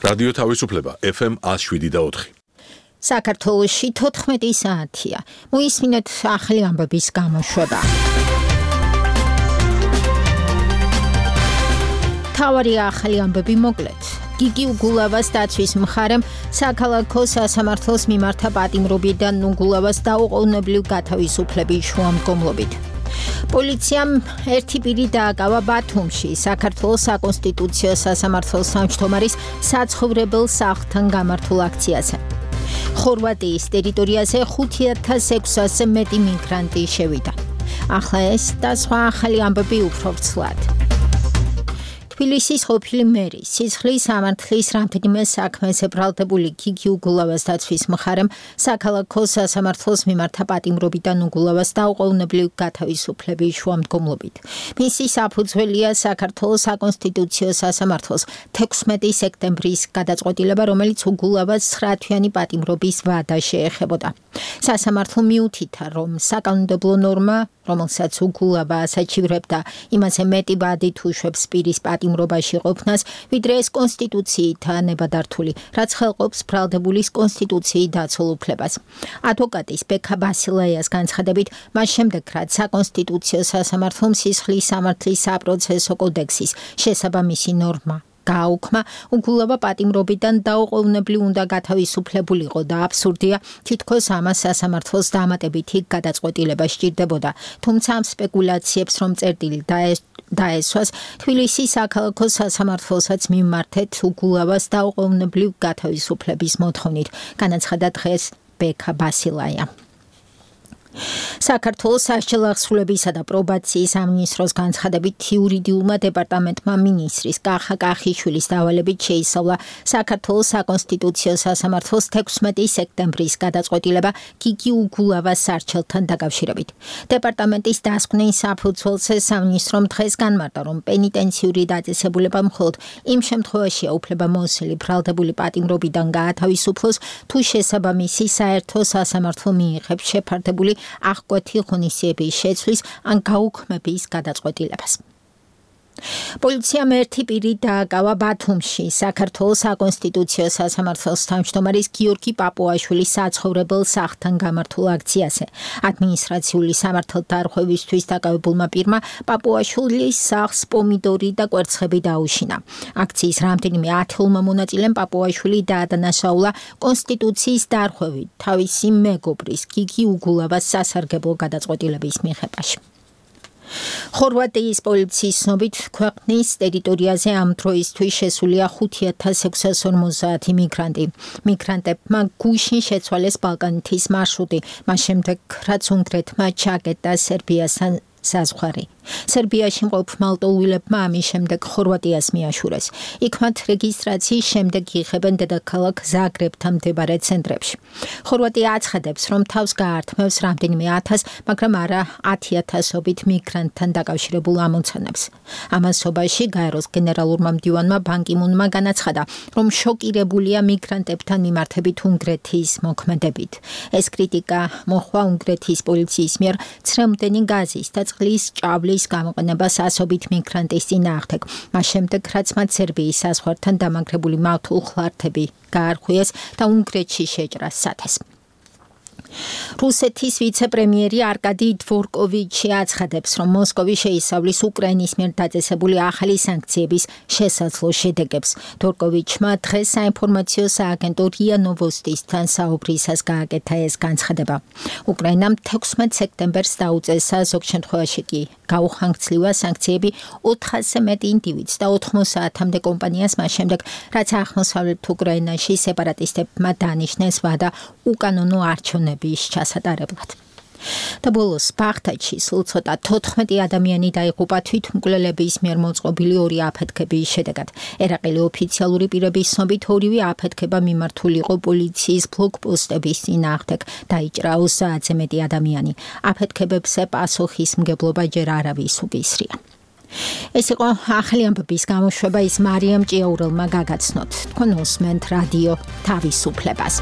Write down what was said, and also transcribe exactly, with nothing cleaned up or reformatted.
რადიო თავისუფლება F M one oh seven და four. საქართველოში თოთხმეტი საათია. მოისმინეთ ახალი ამბების გამოშვება. თავარი ახალი ამბები მოკლედ. გიგი უგულავას დაცვის მხარემ საქალაქო სასამართლოს მიმართა პატიმრობიდან უგულავას დაუყოვნებლივ გათავისუფლების შუამდგომლობით. პოლიციამ ერთი პირი დააკავა ბათუმში საქართველოს საკონსტიტუციო სასამართლოს თავმჯდომარის საცხოვრებელ სახლთან გამართულ აქციაზე. ხორვატიის ტერიტორიაზე ხუთი ათას ექვსასზე მეტი მიგრანტი შევიდა. ახლა ეს და სხვა ახალი ამბები უფრო ვრცლად. თბილისის ყოფილი მერი სისხლის სამართლის რამდენიმე საქმეზე ბრალდებული გიგი უგულავას დაცვის მხარემ საქალაქო სასამართლოს მიმართა პატიმრობიდან უგულავას დაუყოვნებლივ გათავისუფლების შუამდგომლობით. მისი საფუძველია საქართველოს საკონსტიტუციო სასამართლოს თექვსმეტი სექტემბრის გადაწყვეტილება, რომელიც უგულავას ცხრათვიანი პატიმრობის ვადა შეეხებოდა. სასამართლო მიუთითა, რომ საკანონმდებლო ნორმა, რომელსაც უგულავა ასაჩივრებდა, იმაზე მეტი ვადით უშვებს პირის პატიმრობაში ყოფნას, ვიდრე ეს კონსტიტუციითაა ნებადართული, რაც ხელყოფს ბრალდებულის კონსტიტუციით დაცულ უფლებას. ადვოკატის ბექა ბასილაიას განცხადებით, მას შემდეგ, რაც საკონსტიტუციო სასამართლომ სისხლის სამართლის საპროცესო კოდექსის შესაბამისი ნორმა გააუქმა, უგულავა პატიმრობიდან დაუყოვნებლივ უნდა გათავისუფლებულიყო და აბსურდია, თითქოს ამას სასამართლოს დამატებითი გადაწყვეტილება სჭირდებოდა. თუმცა ამ სპეკულაციებს რომ წერტილი დაესვას, თბილისის საქალაქო სასამართლოსაც მიმართეთ უგულავას დაუყოვნებლივ გათავისუფლების მოთხოვნით, განაცხადა დღეს ბექა ბასილაია. საქართველოს სასჯელ აღსრულებისა და პრობაციის სამინისტროს განცხადებით იურიდიულმა დეპარტამენტმა მინისტრის კახა კახიშვილის დავალებით შეისწავლა საქართველოს საკონსტიტუციო სასამართლოს თექვსმეტი სექტემბრის გადაწყვეტილება გიგი უგულავას სასჯელთან დაკავშირებით. დეპარტამენტის დასკვნის საფუძველზე სამინისტრომ დღეს განმარტა, რომ პენიტენციური დაწესებულება მხოლოდ იმ შემთხვევაშია უფლებამოსილი ბრალდებული პატიმრობიდან გაათავისუფლოს, თუ შესაბამისი საერთო სასამართლო მიიღებს შეფარდებული აღკვეთი ღონისძიების შეცვლის ან გაუქმების გადაწყვეტილებას. პოლიციამ ერთი პირი დააკავა ბათუმში საქართველოს საკონსტიტუციო სასამართლოს თავმჯდომარის გიორგი პაპუაშვილის საცხოვრებელ სახლთან გამართულ აქციაზე. ადმინისტრაციული სამართალდარღვევისთვის დაკავებულმა პირმა პაპუაშვილის სახლს პომიდორი და კვერცხები დაუშინა. აქციის რამდენიმე ათეულმა მონაწილემ პაპუაშვილი დაადანაშაულა კონსტიტუციის დარღვევით თავისი მეგობრის გიგი უგულავას სასარგებლო გადაწყვეტილების მიღებაში. ხორვატიის პოლიციის ცნობით, ქვეყნის ტერიტორიაზე ამ დროისთვის შესულია ხუთი ათას ექვსას ორმოცდაათი მიგრანტი. მიგრანტებმა გუშინ შეცვალეს ბალკანეთის მარშრუტი, მას შემდეგ, რაც უნგრეთმა ჩაკეტა სერბიასთან საზღვარი. სერბიაში მყოფ მალტოუილებმა ამის შემდეგ ხორვატიას მიაშურეს. იქ მათ რეგისტრაციის შემდეგ იღებენ დედაქალაქ ზაგრებთან მდებარე ცენტრებში. ხორვატია აცხადებს, რომ თავს გაართმევს რამდენიმე ათას, მაგრამ არა ათი ათასობით მიგრანტთან დაკავშირებულ ამოცანებს. ამასობაში გაეროს გენერალურმა მდივანმა ბან კი მუნმა განაცხადა, რომ შოკირებულია მიგრანტებთან მიმართებით უნგრეთის მოქმედებით. ეს კრიტიკა მოჰყვა უნგრეთის პოლიციის მიერ ცრემლდენი გაზის და წყლის ჭავლის გამოყენებას ასობით მიგრანტის წინააღმდეგ, მას შემდეგ, რაც მათ სერბიის საზღვართან დამაგრებული მავთულხლართები გაარღვიეს და უნგრეთში შეჭრა სათეს. რუსეთის ვიცე-პრემიერი არკადი დვორკოვიჩი აცხადებს, რომ მოსკოვი შეისწავლის უკრაინის მიერ დაწესებული ახალი სანქციების შესაძლო შედეგებს. დვორკოვიჩმა დღეს საინფორმაციო სააგენტო რია ნოვოსტისთან საუბრისას გააკეთა ეს განცხადება. უკრაინამ თექვსმეტ სექტემბერს დაუწესა, ზოგ შემთხვევაში კი გაუხანგრძლივა სანქციები ოთხასზე მეტი ინდივიდს და ოთხმოცდაათამდე კომპანიას, მას შემდეგ, რაც აღმოსავლეთ უკრაინაში სეპარატისტებმა დანიშნეს ვადა უკანონო არჩევნების ჩასატარებლად. და ბოლოს ბაღდადში სულ ცოტა თოთხმეტი ადამიანი დაიღუპა თვითმკვლელების მიერ მოწყობილი ორი აფეთქების შედეგად. ერაყელი ოფიციალური პირების ცნობით, ორივე აფეთქება მიმართული იყო პოლიციის ბლოკპოსტების წინააღმდეგ. დაიჭრა ოცდაათზე მეტი ადამიანი. აფეთქებებზე პასუხისმგებლობა ჯერ არავის უკისრია. ეს იყო ახალი ამბების გამოშვება, ის მარიამ ჭიაურელმა გაგაცნოთ. თქვენ უსმენთ რადიო თავისუფლებას.